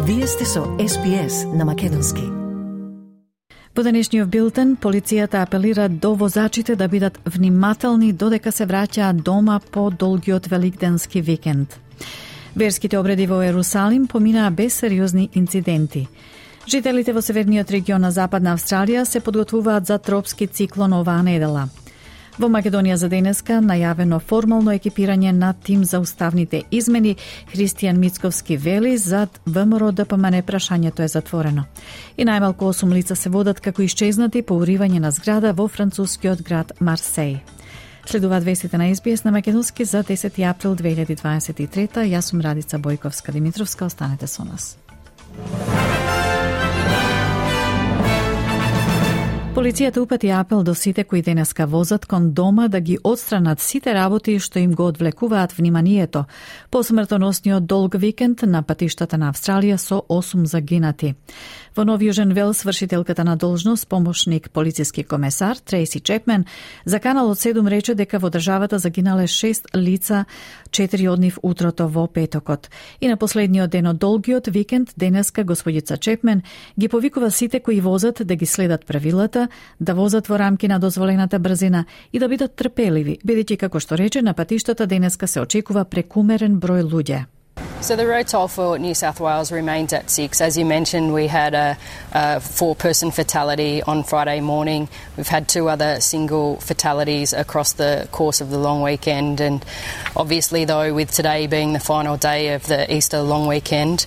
Вие сте со SPS на македонски. Во денешниот билтен, полицијата апелира до возачите да бидат внимателни додека се враќаат дома по долгиот великденски викенд. Верските обреди во Ерусалим поминаа без сериозни инциденти. Жителите во северниот регион на Западна Австралија се подготвуваат за тропски циклон оваа недела. Во Македонија за денеска најавено формално екипирање на тим за уставните измени. Христијан Мицковски вели зад ВМРО ДПМН прашањето е затворено. И најмалку 8 лица се водат како исчезнати по уривање на зграда во францускиот град Марсеј. Следуваат вестите на SBS на македонски за 10 април 2023. Јас сум Радица Бојковска-Димитровска, останете со нас. Полицијата упати апел до сите кои денеска возат кон дома да ги отстранат сите работи што им го одвлекуваат вниманието по смртоносниот долг викенд на патиштата на Австралија со 8 загинати. Во Нов Јужен Велс вршителката на должност помошник полициски комесар Трейси Чепмен за Каналот 7 рече дека во државата загинале 6 лица, 4 од нив утрото во петокот. И на последниот ден од долгиот викенд денеска господица Чепмен ги повикува сите кои возат да ги следат правилата, да возат во рамки на дозволената брзина и да бидат трпеливи, бидејќи како што рече на патиштата денеска се очекува прекумерен број луѓе. So the road toll for New South Wales remains at 6. As you mentioned, we had a 4-person fatality on Friday morning. We've had 2 other single fatalities across the course of the long weekend. And obviously, though, with today being the final day of the Easter long weekend,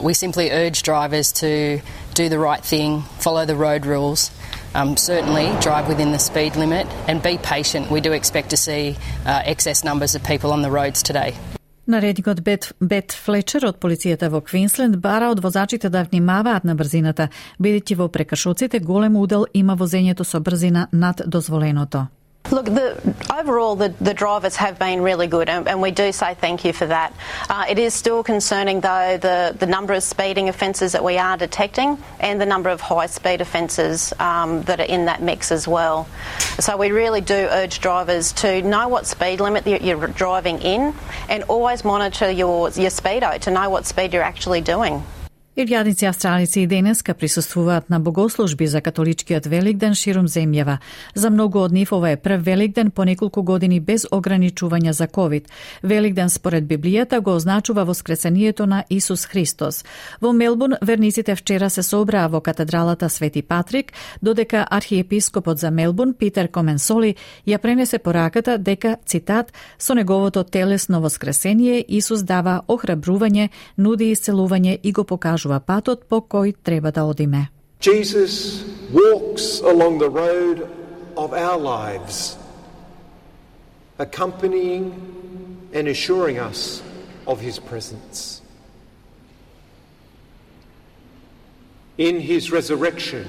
we simply urge drivers to do the right thing, follow the road rules. Certainly drive within the speed limit and be patient. We do expect to see excess numbers of people on the roads today. Наредникот Бет Флечер од полицијата во Квинсленд бара од возачите да внимаваат на брзината, бидејќи во прекршоците голем удел има возењето со брзина над дозволеното. Look, overall, the drivers have been really good, and we do say thank you for that. It is still concerning, though, the number of speeding offences that we are detecting and the number of high-speed offences that are in that mix as well. So we really do urge drivers to know what speed limit you're driving in and always monitor your speedo to know what speed you're actually doing. Илјадници австралици и денеска присуствуваат на богослужби за католичкиот Великден ширум земјава. За многу од нив ова е прв Великден по неколку години без ограничувања за ковид. Великден според Библијата го означува воскресението на Исус Христос. Во Мелбурн верниците вчера се собраа во катедралата Свети Патрик, додека архиепископот за Мелбурн Питер Коменсоли ја пренесе пораката дека, цитат, со неговото телесно воскресение Исус дава охрабрување, нуди исцелување и го покажува патот по кој треба да одиме. Jesus walks along the road of our lives, accompanying and assuring us of his presence. In his resurrection,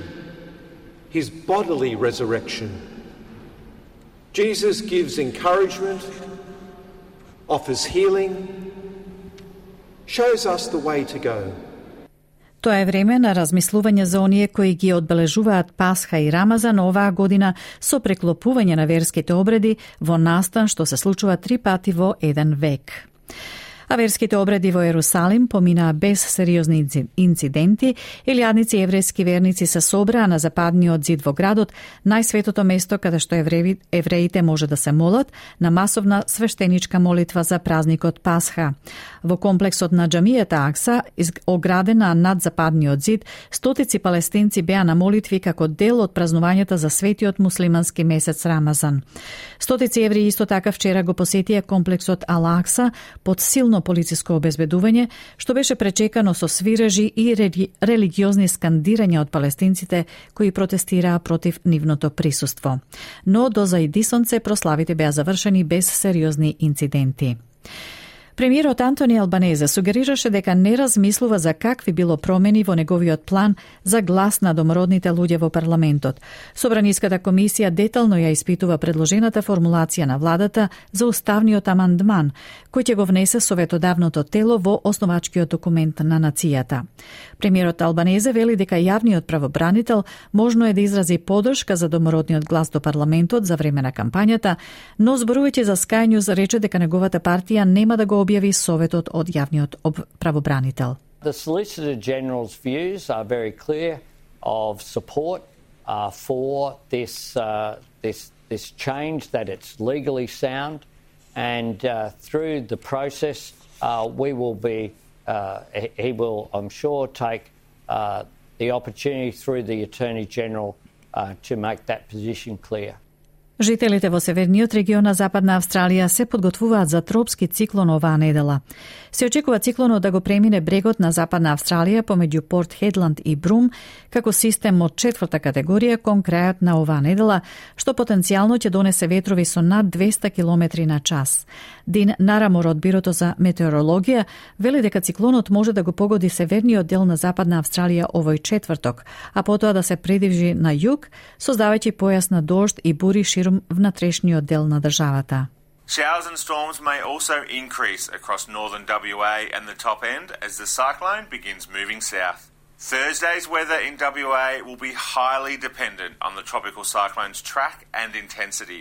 his bodily resurrection, Jesus gives encouragement, offers healing, shows us the way to go. Тоа е време на размислување за оние кои ги одбележуваат Пасха и Рамазан оваа година со преклопување на верските обреди во настан што се случува 3 пати во еден век. А верските обреди во Ерусалим поминаа без сериозни инциденти. Илјадници еврејски верници се собраа на западниот зид во градот, најсветото место каде што евреите може да се молат на масовна свештеничка молитва за празникот Пасха. Во комплексот на џамијата Акса, оградена над западниот зид, стотици палестинци беа на молитви како дел од празнувањата за светиот муслимански месец Рамазан. Стотици евреи исто така вчера го посетија комплексот Ал-Акса под силно полициско обезбедување, што беше пречекано со свирежи и религиозни скандирања од палестинците кои протестираа против нивното присуство. Но до зајди сонце прославите беа завршени без сериозни инциденти. Премиерот Антони Албанезе сугерираше дека не размислува за какви било промени во неговиот план за глас на домородните луѓе во парламентот. Собраниската комисија детално ја испитува предложената формулација на владата за уставниот амандман, кој ќе го внесе советодавното тело во основачкиот документ на нацијата. Премиерот Албанезе вели дека јавниот правобранител можно е да изрази поддршка за домородниот глас до парламентот за време на кампањата, но зборувајќи за Sky News рече дека неговата партија нема да го објави советот од јавниот правобранител. The Solicitor General's views are very clear of support for this change, that it's legally sound, and through the process we will be, he will, I'm sure, take the opportunity through the Attorney General to make that position clear. Жителите во северниот регион на Западна Австралија се подготвуваат за тропски циклон оваа недела. Се очекува циклонот да го премине брегот на Западна Австралија помеѓу Порт Хедланд и Брум како систем од 4-та категорија кон крајот на оваа недела, што потенцијално ќе донесе ветрови со над 200 км на час. Дин Нарамор од Бирото за метеорологија вели дека циклонот може да го погоди северниот дел на Западна Австралија овој четврток, а потоа да се придвижи на југ, создавајќи појас на дожд и бури ширум внатрешниот дел на државата. Showers and storms may also increase across northern WA and the top end as the cyclone begins moving south. Thursday's weather in WA will be highly dependent on the tropical cyclone's track and intensity,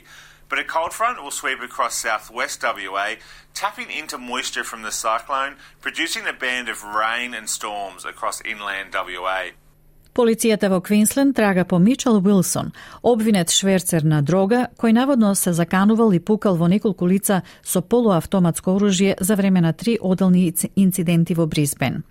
but a cold front will sweep across southwest WA, tapping into moisture from the cyclone, producing a band of rain and storms across inland WA. Полицијата во Квинсленд трага по Мичел Уилсон, обвинет шверцер на дрога, кој наводно се заканувал и пукал во неколку лица со полуавтоматско оружје за време на 3 оделни инциденти во Брисбен.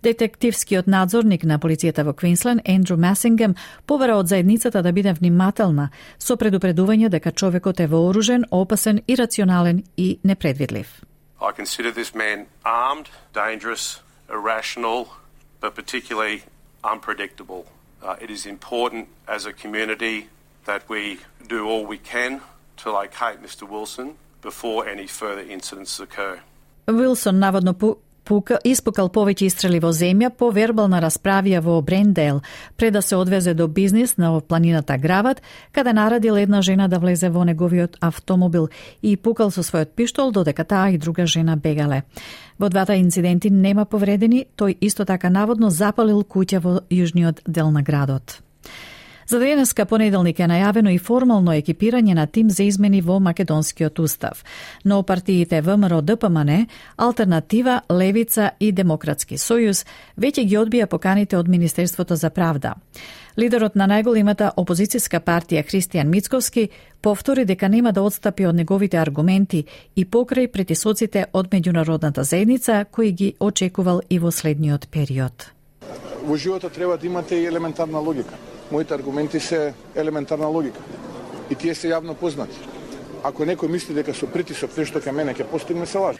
Детективскиот надзорник на полицијата во Квинсленд, Ендрю Масингем, побара од заедницата да биде внимателна, со предупредување дека човекот е вооружен, опасен, ирационален и непредвидлив. I consider this man armed, dangerous, irrational, but particularly unpredictable. It is important as a community that we do all we can to locate Mr. Wilson before any further incidents occur. Wilson наводно испукал повеќе истрели во земја по вербална расправија во Брендейл, пред да се одвезе до бизнис на планината Грават, каде наредил една жена да влезе во неговиот автомобил и пукал со својот пиштол додека таа и друга жена бегале. Во двата инциденти нема повредени, тој исто така наводно запалил куќа во јужниот дел на градот. За денеска понеделник е најавено и формално екипирање на тим за измени во македонскиот устав. Но партиите ВМРО, ДПМН, Алтернатива, Левица и Демократски сојуз веќе ги одбија поканите од Министерството за правда. Лидерот на најголемата опозицијска партија Христијан Мицковски повтори дека нема да отстапи од неговите аргументи и покрај притисоците од меѓународната заедница кои ги очекувал и во следниот период. Во животот треба да имате и елементарна логика. Моите аргументи се елементарна логика и тие се јавно познати. Ако некој мисли дека со притисок нешто кај мене ќе постигне, се лажи.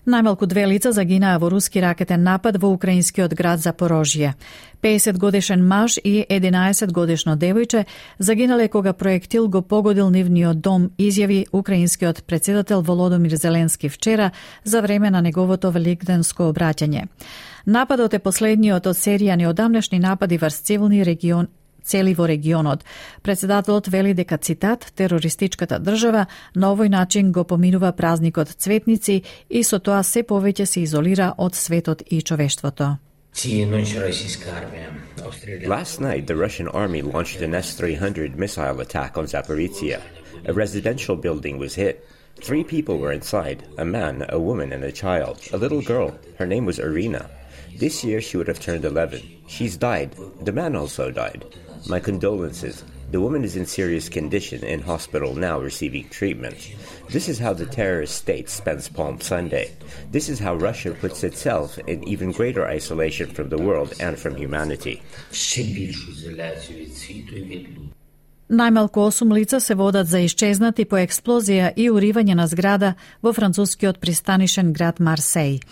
Најмалку 2 лица загинаа во руски ракетен напад во украинскиот град Запорожје. 50 годишен маж и 11 годишно девојче загинале кога проектил го погодил нивниот дом, изјави украинскиот председател Володомир Зеленски вчера за време на неговото великденско обраќање. Нападот е последниот од серија неодамнешни напади врз цели во регионот. Председателот вели дека, цитат, терористичката држава на овој начин го поминува празникот Цветници и со тоа се повеќе се изолира од светот и човештвото. Last night, the Russian army launched an S-300 missile attack on Zaporizhia. A residential building was hit. 3 people were inside, a man, a woman, and a child, a little girl. Her name was Irina. This year she would have turned 11. She's died. The man also died. My condolences. The woman is in serious condition in hospital now receiving treatment. This is how the terrorist state spends Palm Sunday. This is how Russia puts itself in even greater isolation from the world and from humanity. Најмалку 8 лица се водат за исчезнати по експлозија и уривање на зграда во францускиот пристанишен град Марсеј.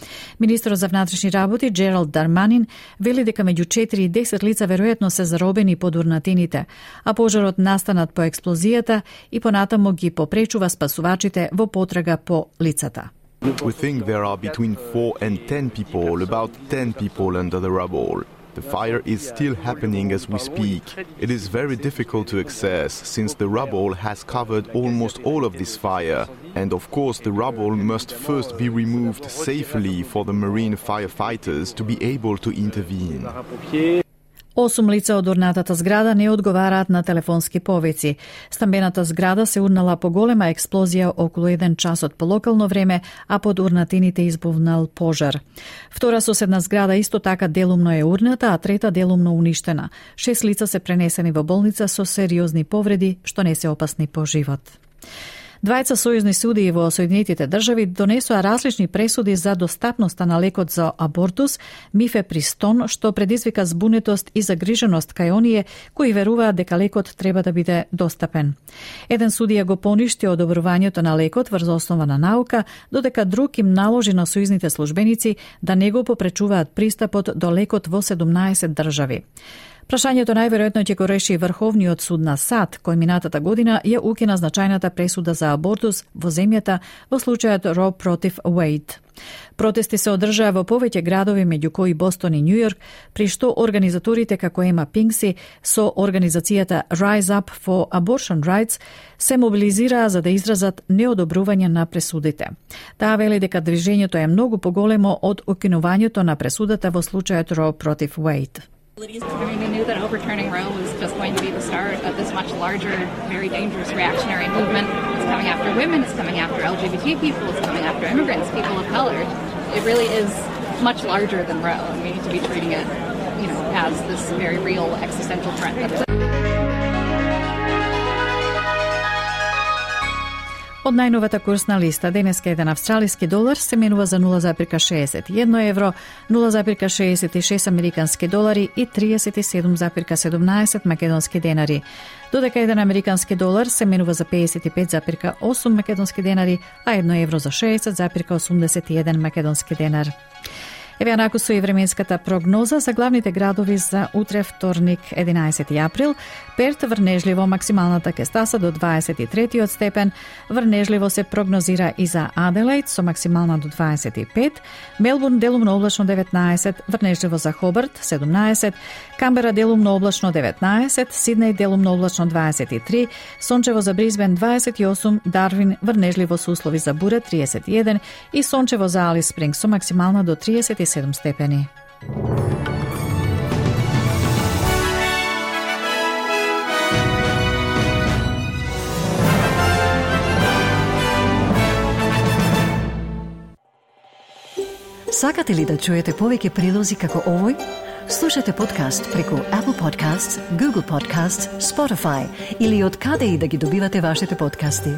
Министерот за внатрешни работи Джералд Дарманин вели дека меѓу 4 и 10 лица веројатно се заробени под урнатините, а пожарот настанат по експлозијата и понатаму ги попречува спасувачите во потрага по лицата. We think there are between 4 and 10 people, about 10 people under the rubble. The fire is still happening as we speak. It is very difficult to access since the rubble has covered almost all of this fire. And of course the rubble must first be removed safely for the marine firefighters to be able to intervene. 8 лица од урнатата зграда не одговараат на телефонски повици. Стамбената зграда се урнала по голема експлозија околу 1 часот по локално време, а под урнатините избувнал пожар. Втора соседна зграда исто така делумно е урната, а трета делумно уништена. 6 лица се пренесени во болница со сериозни повреди, што не се опасни по живот. Двајца сојузни судии во Соединетите држави донесоа различни пресуди за достапноста на лекот за абортус мифепристон, што предизвика збунетост и загриженост кај оние кои веруваат дека лекот треба да биде достапен. Еден судија го поништи одобрувањето на лекот врз основа на наука, додека друг им наложи на сојузните службеници да не го попречуваат пристапот до лекот во 17 држави. Прашањето најверојатно ќе го реши Врховниот суд на САД, кој минатата година ја укина значајната пресуда за абортус во земјата во случајот Ро против Уейд. Протести се одржаа во повеќе градови, меѓу кои Бостон и Њујорк, при што организаторите како Ема Пинкси со организацијата Rise Up for Abortion Rights се мобилизираа за да изразат неодобрување на пресудите. Таа вели дека движењето е многу поголемо од укинувањето на пресудата во случајот Ро против Уейд. I mean, we knew that overturning Roe was just going to be the start of this much larger, very dangerous reactionary movement. It's coming after women, it's coming after LGBT people, it's coming after immigrants, people of color. It really is much larger than Roe, and we need to be treating it, as this very real existential threat that it is. Од најновата курсна листа, денеска еден австралиски долар се менува за 0,61 евро, 0,66 американски долари и 37,17 македонски денари. Додека еден американски долар се менува за 55,8 македонски денари, а 1 евро за 60,81 македонски денар. Еве анакусу и временската прогноза за главните градови за утре вторник 11 април. Перт врнежливо максималната ќе стаса до 23 степен, врнежливо се прогнозира и за Аделаид со максимална до 25, Мелбурн делумно облачно 19, врнежливо за Хобарт 17, Камбера делумно облачно 19, Сиднеј делумно облачно 23, сончево за Брисбен 28, Дарвин врнежливо со услови за бура 31 и сончево за Алис Спрингс со максимална до 37 степени. Сакате ли да чуете повеќе прилози како овој? Слушате подкаст преку Apple Podcasts, Google Podcasts, Spotify или од каде и да ги добивате вашите подкасти.